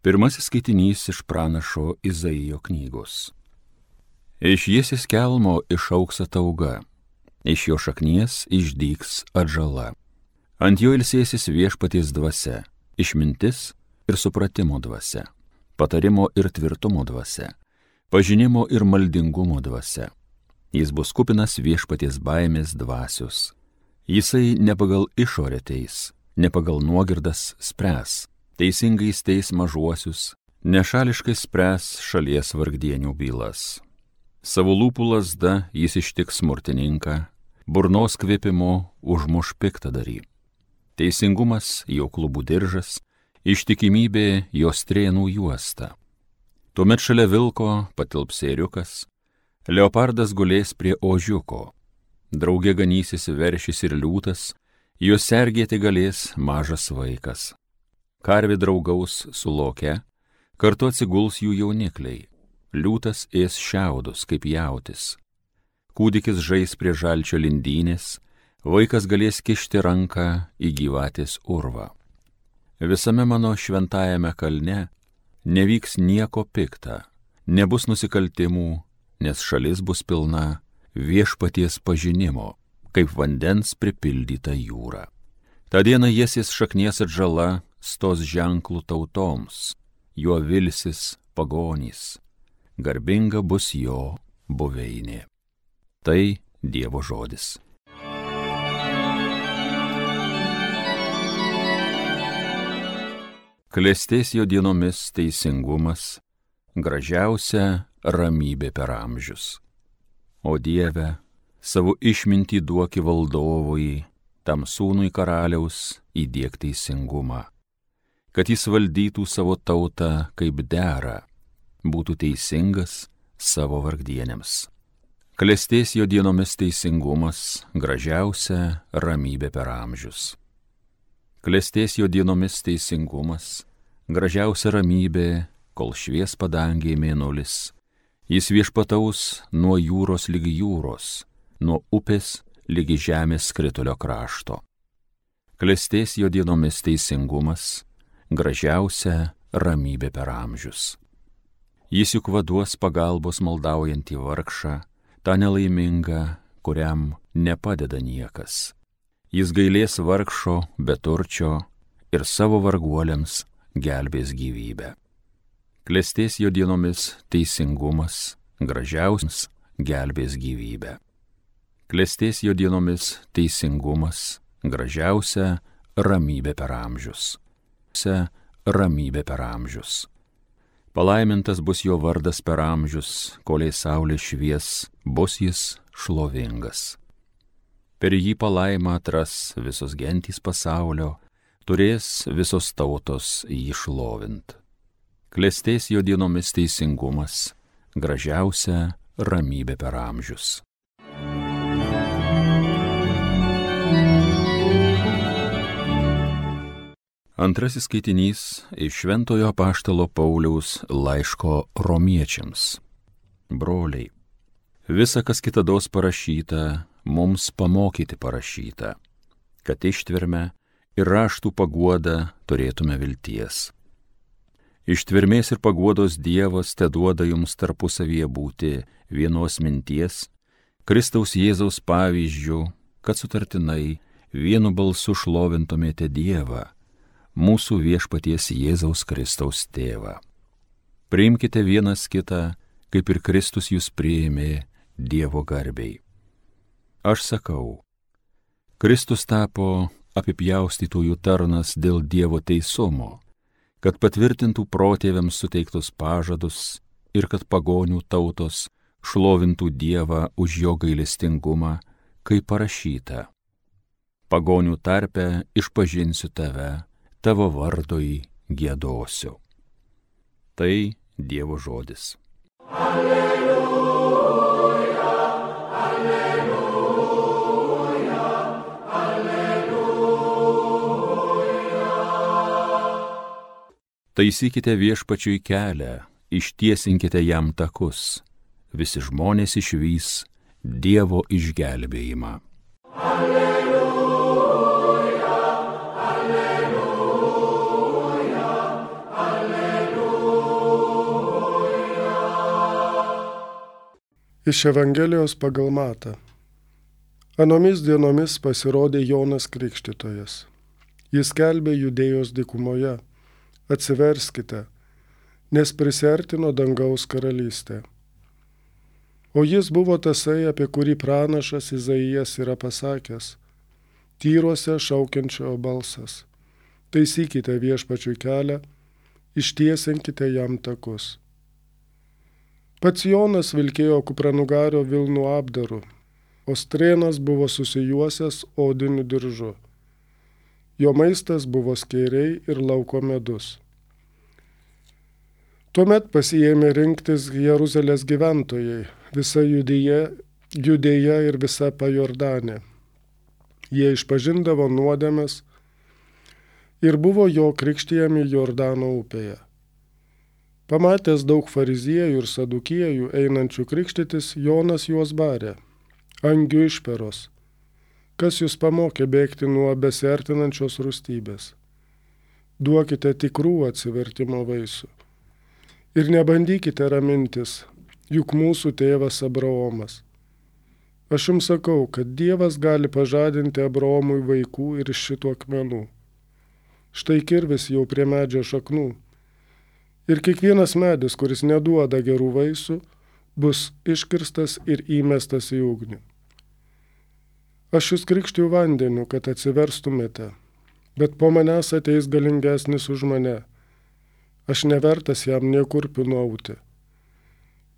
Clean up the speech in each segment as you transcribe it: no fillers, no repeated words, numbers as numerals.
Pirmasis skaitinys iš pranašo Izaijo knygos. Iš Jesės kelmo išaugs atauga, iš jo šaknies išdygs atžala. Ant jo ilsėsis viešpaties dvasia, išmintis ir supratimo dvasia, patarimo ir tvirtumo dvasia, pažinimo ir maldingumo dvasia. Jis bus kupinas viešpaties baimės dvasios. Jisai ne pagal išorę teis, ne pagal nuogirdas spręs, teisingais teis mažuosius, nešališkai spręs šalies vargdienių bylas. Savo lūpų lazda jis ištiks smurtininką, burnos kvėpimo užmuš piktadarį. Teisingumas jo klubų diržas, ištikimybė jo strėnų juosta. Tuomet šalia vilko patilps ėriukas, leopardas gulės prie ožiuko, drauge ganysis veršis ir liūtas, juos sergėti galės mažas vaikas. Karvė draugaus su loke, kartu atsiguls jų jaunikliai, liūtas ės šiaudus kaip jautis. Kūdikis žais prie žalčio lindynės, vaikas galės kišti ranką į gyvatės urvą. Visame mano šventajame kalne nevyks nieko pikta, nebus nusikaltimų, nes šalis bus pilna viešpaties pažinimo, kaip vandens pripildyta jūra. Ta diena Jesės šaknies atžala stos ženklų tautoms, juo vilsis pagonys, garbinga bus jo buveinė. Tai Dievo žodis. Klestės jo dienomis teisingumas, gražiausia ramybė per amžius. O Dieve, savo išmintį duoki valdovui, tam sūnui karaliaus įdiek teisingumą, kad jis valdytų savo tautą kaip dera, būtų teisingas savo vargdienėms. Klestės jo dienomis teisingumas, gražiausia ramybė per amžius. Klestės jo dienomis teisingumas, gražiausia ramybė, kol švies padangėj mėnulis. Jis viešpataus nuo jūros lygi jūros, nuo upės lygi žemės skritulio krašto. Klestės jo dienomis teisingumas, gražiausia ramybė per amžius. Jis juk vaduos pagalbos maldaujantį vargšą, tą nelaimingą, kuriam nepadeda niekas. Jis gailės vargšo, beturčio ir savo varguoliams gelbės gyvybę. Klestės jo dienomis teisingumas, gražiausias gelbės gyvybę. Klestės jo dienomis teisingumas, gražiausia ramybė per amžius. Ramybė per amžius. Palaimintas bus jo vardas per amžius, kolei saulė švies, bus jis šlovingas. Per jį palaimą atras visos gentys pasaulio, turės visos tautos jį šlovint. Klestės jo dienomis teisingumas, gražiausia ramybė per amžius. Antrasis skaitinys iš Šventojo apaštalo Pauliaus laiško romiečiams. Broliai, visa, kas kitados parašyta, mums pamokyti parašyta, kad ištverme ir raštų paguoda turėtume vilties. Ištvermės ir paguodos Dievas teduoda jums tarpusavyje būti vienos minties, Kristaus Jėzaus pavyzdžių, kad sutartinai vienu balsu šlovintumėte Dievą, mūsų viešpaties Jėzaus Kristaus tėvą. Priimkite vienas kitą, kaip ir Kristus jūs priėmė Dievo garbei. Aš sakau, Kristus tapo apipjaustytųjų tarnas dėl Dievo teisumo, kad patvirtintų protėviams suteiktus pažadus ir kad pagonių tautos šlovintų Dievą už jo gailestingumą, kaip parašyta. Pagonių tarpe išpažinsiu tave, tavo vardui giedosiu. Tai Dievo žodis. Alleluja, alleluja, alleluja. Taisykite viešpačiui kelią, ištiesinkite jam takus, visi žmonės išvys Dievo išgelbėjimą. Alleluja, alleluja, alleluja. Iš Evangelijos pagal Matą. Anomis dienomis pasirodė Jonas Krikštytojas. Jis skelbė Judėjos dykumoje: atsiverskite, nes prisiartino dangaus karalystė. O jis buvo tasai, apie kurį pranašas Izaijas yra pasakęs: tyruose šaukiančio balsas, taisykite viešpačiui kelią, ištiesinkite jam takus. Pats Jonas vilkėjo kupranugario vilnų apdaru, o strėnas buvo susijuosęs odiniu diržu. Jo maistas buvo skėriai ir lauko medus. Tuomet pasiėmė rinktis Jeruzalės gyventojai, visa Judėja ir visa Pajordanė. Jie išpažindavo nuodėmes ir buvo jo krikštijami Jordano upėje. Pamatęs daug fariziejų ir sadukiejų einančių krikštytis, Jonas juos barė: angių išperos, kas jūs pamokė bėgti nuo besiartinančios rūstybės? Duokite tikrų atsivertimo vaisių. Ir nebandykite ramintis, juk mūsų tėvas Abraomas. Aš jums sakau, kad Dievas gali pažadinti Abraomui vaikų ir iš šitų akmenų. Štai kirvis jau prie medžio šaknų. Ir kiekvienas medis, kuris neduoda gerų vaisių, bus iškirstas ir įmestas į ugnį. Aš jūs krikštiju vandeniu, kad atsiverstumėte, bet po manęs ateis galingesnis už mane. Aš nevertas jam nė kurpių nuauti.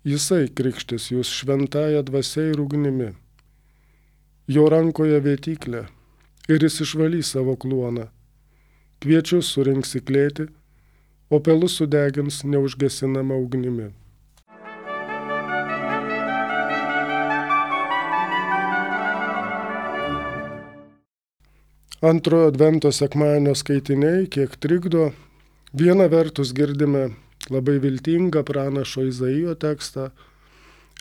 Jisai krikštis jūs šventąja dvasia ir ugnimi. Jo rankoje vėtyklė ir jis išvalys savo kluoną. Kviečius surinks į klėtį, o pelus sudegins neužgesinama ugnimi. Antrojo advento sekmadienio skaitiniai kiek trikdo. Viena vertus girdime labai viltingą pranašo Izaijo tekstą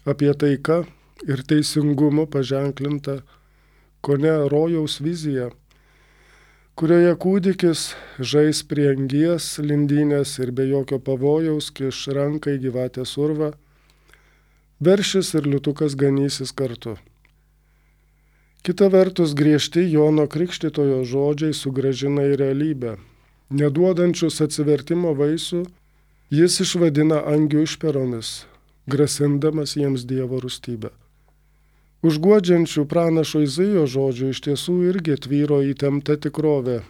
apie taiką ir teisingumu paženklintą kone rojaus viziją, kurioje kūdikis žais prie angies lindynės ir be jokio pavojaus kiš ranką į gyvatės urvą, veršis ir liūtukas ganysis kartu. Kita vertus griežti Jono Krikštytojo žodžiai sugrąžina į realybę. Neduodančius atsivertimo vaisių jis išvadina angių išperomis, grasindamas jiems Dievo rūstybę. Užguodžiančių pranašo Izaijo žodžių iš tiesų irgi tvyro įtempta tikrovė.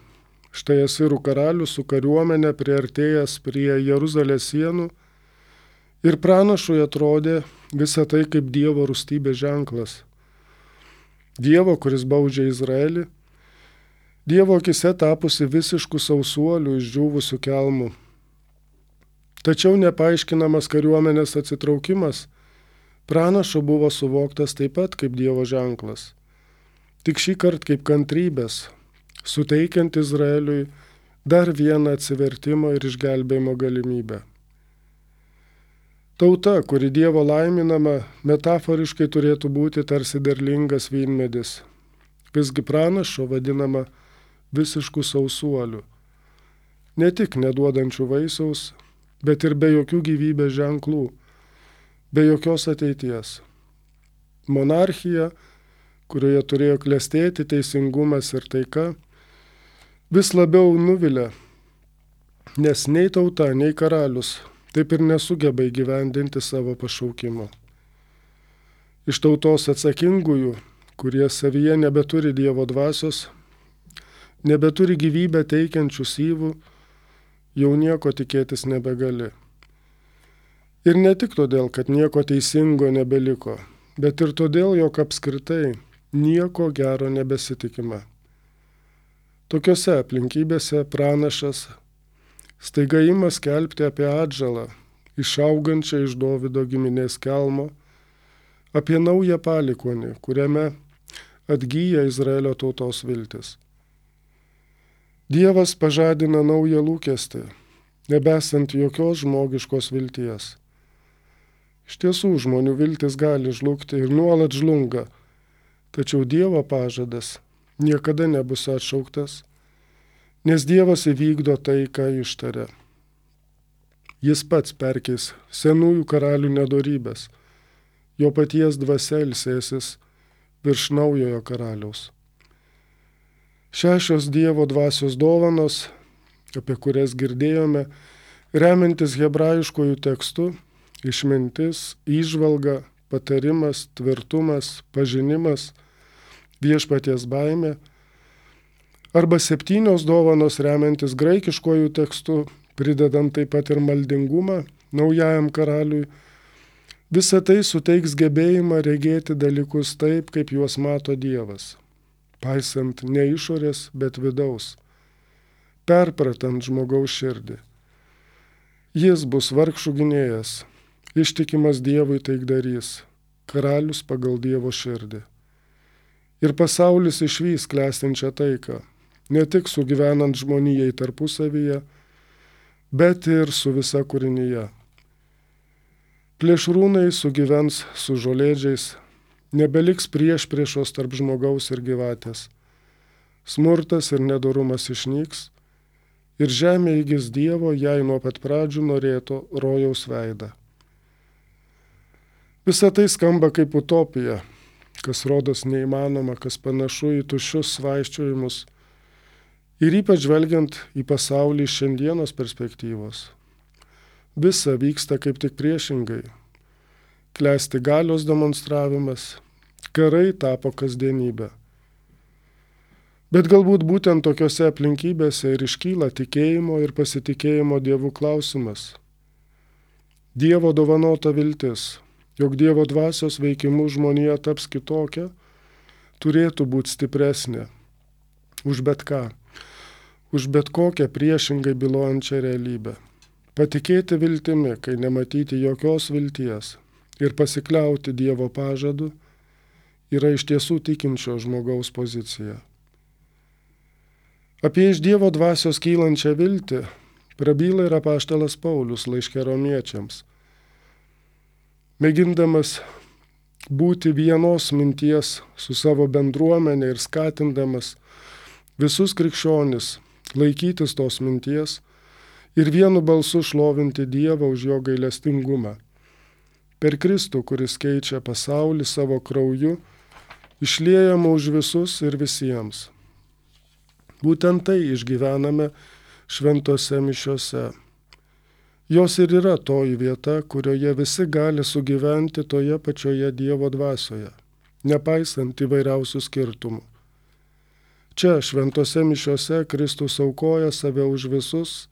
Štai Asirų karalius su kariuomenė priartėjęs prie Jeruzalės sienų ir pranašui atrodė visa tai kaip Dievo rūstybės ženklas. Dievo, kuris baudžia Izraelį, Dievo akise tapusi visiškų sausuolių išdžiūvusių kelmų. Tačiau nepaaiškinamas kariuomenės atsitraukimas pranašo buvo suvoktas taip pat kaip Dievo ženklas, tik šį kartą kaip kantrybės, suteikiant Izraeliui dar vieną atsivertimo ir išgelbėjimo galimybę. Tauta, kuri Dievo laiminama, metaforiškai turėtų būti tarsi derlingas vynmedis, visgi pranašo vadinama visiškų sausuolių, ne tik neduodančių vaisiaus, bet ir be jokių gyvybės ženklų, be jokios ateities. Monarchija, kurioje turėjo klestėti teisingumas ir taika, vis labiau nuvilia, nes nei tauta, nei karalius taip ir nesugeba įgyvendinti savo pašaukimo. Iš tautos atsakingųjų, kurie savyje nebeturi Dievo dvasios, nebeturi gyvybę teikiančių syvų, jau nieko tikėtis nebegali. Ir ne tik todėl, kad nieko teisingo nebeliko, bet ir todėl, jog apskritai nieko gero nebesitikima. Tokiose aplinkybėse pranašas staiga ima skelbti apie atžalą, išaugančią iš Dovydo giminės kelmo, apie naują palikuonį, kuriame atgyja Izraelio tautos viltis. Dievas pažadina naują lūkestį, nebesant jokios žmogiškos vilties. Iš tiesų, žmonių viltis gali žlugti ir nuolat žlunga, tačiau Dievo pažadas niekada nebus atšauktas, nes Dievas įvykdo tai, ką ištarė. Jis pats perkeis senųjų karalių nedorybės, jo paties dvasia ilsėsis virš naujojo karaliaus. 6 Dievo dvasios dovanos, apie kurias girdėjome, remiantis hebrajiškojų tekstu, išmintis, įžvalga, patarimas, tvirtumas, pažinimas, viešpaties baimė, arba 7 dovanos remiantis graikiškojų tekstu, pridedant taip pat ir maldingumą naujajam karaliui, visa tai suteiks gebėjimą regėti dalykus taip, kaip juos mato Dievas, paisant ne išorės, bet vidaus, perpratant žmogaus širdį. Jis bus vargšų gynėjas, ištikimas Dievui taikdarys, karalius pagal Dievo širdį. Ir pasaulis išvys klestinčią taiką, ne tik sugyvenant žmonijai tarpusavyje, bet ir su visa kūrinyje. Plėšrūnai sugyvens su žolėdžiais, nebeliks priešpriešos tarp žmogaus ir gyvatės. Smurtas ir nedorumas išnyks, ir žemė įgis Dievo, jai nuo pat pradžių norėto rojaus veidą. Visa tai skamba kaip utopija, kas rodos neįmanoma, kas panašu į tuščius svaisčiojimus, ir ypač žvelgiant į pasaulį iš šiandienos perspektyvos. Visa vyksta kaip tik priešingai. Klesti galios demonstravimas, karai tapo kasdienybė. Bet galbūt būtent tokiose aplinkybėse ir iškyla tikėjimo ir pasitikėjimo Dievu klausimas. Dievo dovanota viltis, jog Dievo dvasios veikimu žmonija taps kitokia, turėtų būti stipresnė už bet ką, už bet kokią priešingai bylojančią realybę. Patikėti viltimi, kai nematyti jokios vilties, ir pasikliauti Dievo pažadu yra iš tiesų tikinčio žmogaus pozicija. Apie iš Dievo dvasios kylančią viltį prabyla ir apaštalas Paulius laiške Romiečiams. Mėgindamas būti vienos minties su savo bendruomenė ir skatindamas visus krikščionis laikytis tos minties, ir vienu balsu šlovinti Dievą už jo gailestingumą. Per Kristų, kuris keičia pasaulį savo krauju, išliejama už visus ir visiems. Būtent tai išgyvename šventose mišiose. Jos ir yra toji vieta, kurioje visi gali sugyventi toje pačioje Dievo dvasioje, nepaisant įvairiausių skirtumų. Čia šventose mišiose Kristus aukoja save už visus,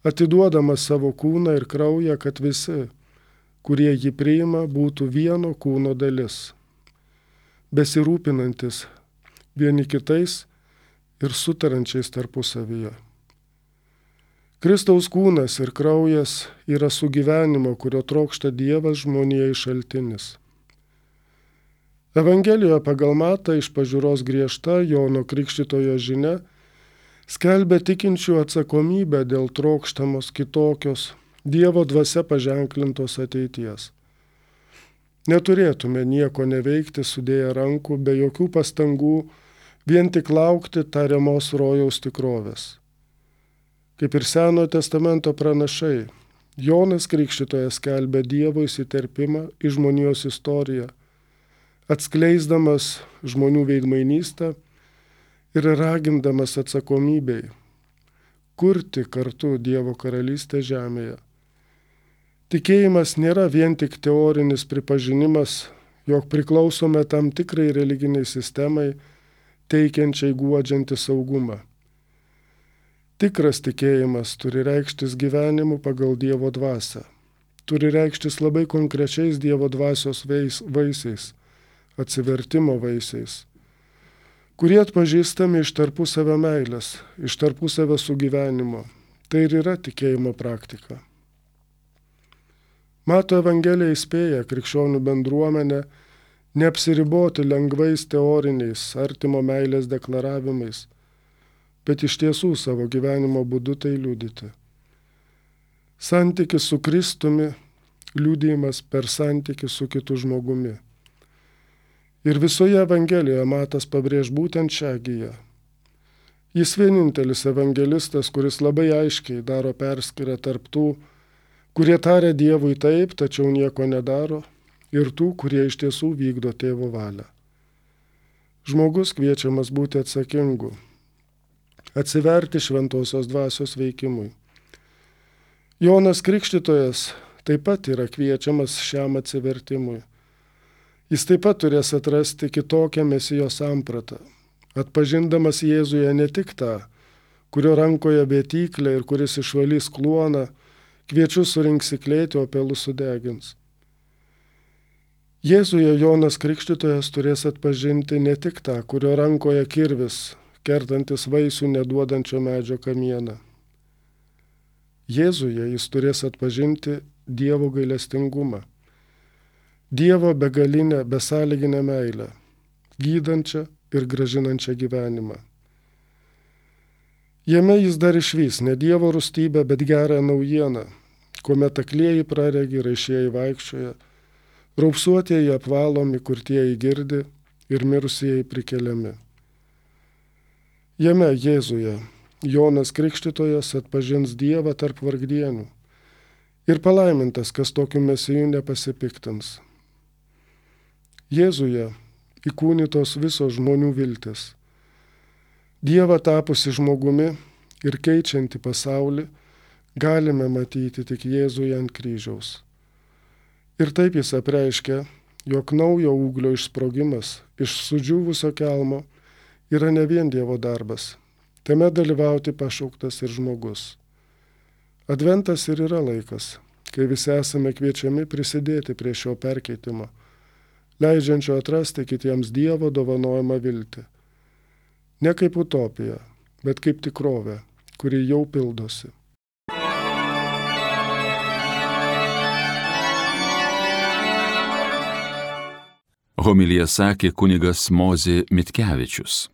atiduodamas savo kūną ir kraują, kad visi, kurie jį priima, būtų vieno kūno dalis, besirūpinantis vieni kitais ir sutarančiais tarpusavyje. Kristaus kūnas ir kraujas yra sugyvenimo, kurio trokšta Dievas žmonijai šaltinis. Evangelijoje pagal Matą iš pažiūros griežta Jono Krikštytojo žinia skelbia tikinčių atsakomybę dėl trokštamos kitokios, Dievo dvasia paženklintos ateities. Neturėtume nieko neveikti sudėję rankų, be jokių pastangų, vien tik laukti tariamos rojaus tikrovės. Kaip ir Senojo testamento pranašai, Jonas Krikštytojas skelbia Dievo įsiterpimą į žmonijos istoriją, atskleisdamas žmonių veidmainystę ir ragindamas atsakomybei kurti kartu Dievo karalystę žemėje. Tikėjimas nėra vien tik teorinis pripažinimas, jog priklausome tam tikrai religiniai sistemai, teikiančiai guodžiantį saugumą. Tikras tikėjimas turi reikštis gyvenimu pagal Dievo dvasią, turi reikštis labai konkrečiais Dievo dvasios vaisiais, atsivertimo vaisiais, kurie atpažįstami iš tarpusavio meilės, iš tarpusavio sugyvenimo. Tai ir yra tikėjimo praktika. Mato Evangelija įspėja krikščionių bendruomenę neapsiriboti lengvais teoriniais artimo meilės deklaravimais, bet iš tiesų savo gyvenimo būdu tai liudyti. Santykis su Kristumi, liudijimas per santykį su kitu žmogumi. Ir visoje Evangelijoje Matas pabrėž būtent šią giją. Jis vienintelis evangelistas, kuris labai aiškiai daro perskyrą tarp tų, kurie taria Dievui taip, tačiau nieko nedaro, ir tų, kurie iš tiesų vykdo tėvo valią. Žmogus kviečiamas būti atsakingu, atsiverti šventosios dvasios veikimui. Jonas Krikštytojas taip pat yra kviečiamas šiam atsivertimui. Jis taip pat turės atrasti kitokią Mesijo sampratą, atpažindamas Jėzuje ne tik tą, kurio rankoje vėtyklė ir kuris išvalys kluoną, kviečius surinks į klėtį, o pelus sudegins. Jėzuje Jonas Krikštytojas turės atpažinti ne tik tą, kurio rankoje kirvis, kertantis vaisių neduodančio medžio kamieną. Jėzuje jis turės atpažinti Dievo gailestingumą, Dievo begalinę, besąlyginę meilę, gydančią ir gražinančią gyvenimą. Jame jis dar išvys ne Dievo rūstybę, bet gerą naujieną, kuomet aklieji praregi, raišieji vaikščioja, raupsuotieji apvalomi, kurtieji girdi ir mirusieji prikeliami. Jame Jėzuje Jonas Krikštytojas atpažins Dievą tarp vargdienių ir palaimintas, kas tokiu Mesiju nepasipiktins. Jėzuje įkūnytos visos žmonių viltis. Dievą tapusi žmogumi ir keičianti pasaulį galime matyti tik Jėzuje ant kryžiaus. Ir taip jis apreiškia, jog naujo ūglio išsprogimas iš sudžiūvusio kelmo yra ne vien Dievo darbas, tame dalyvauti pašauktas ir žmogus. Adventas ir yra laikas, kai visi esame kviečiami prisidėti prie šio perkeitimo, leidžiančio atrasti kitiems Dievo dovanojamą viltį. Ne kaip utopija, bet kaip tikrovė, kuri jau pildosi. Homiliją sakė kunigas Mozė Mitkevičius.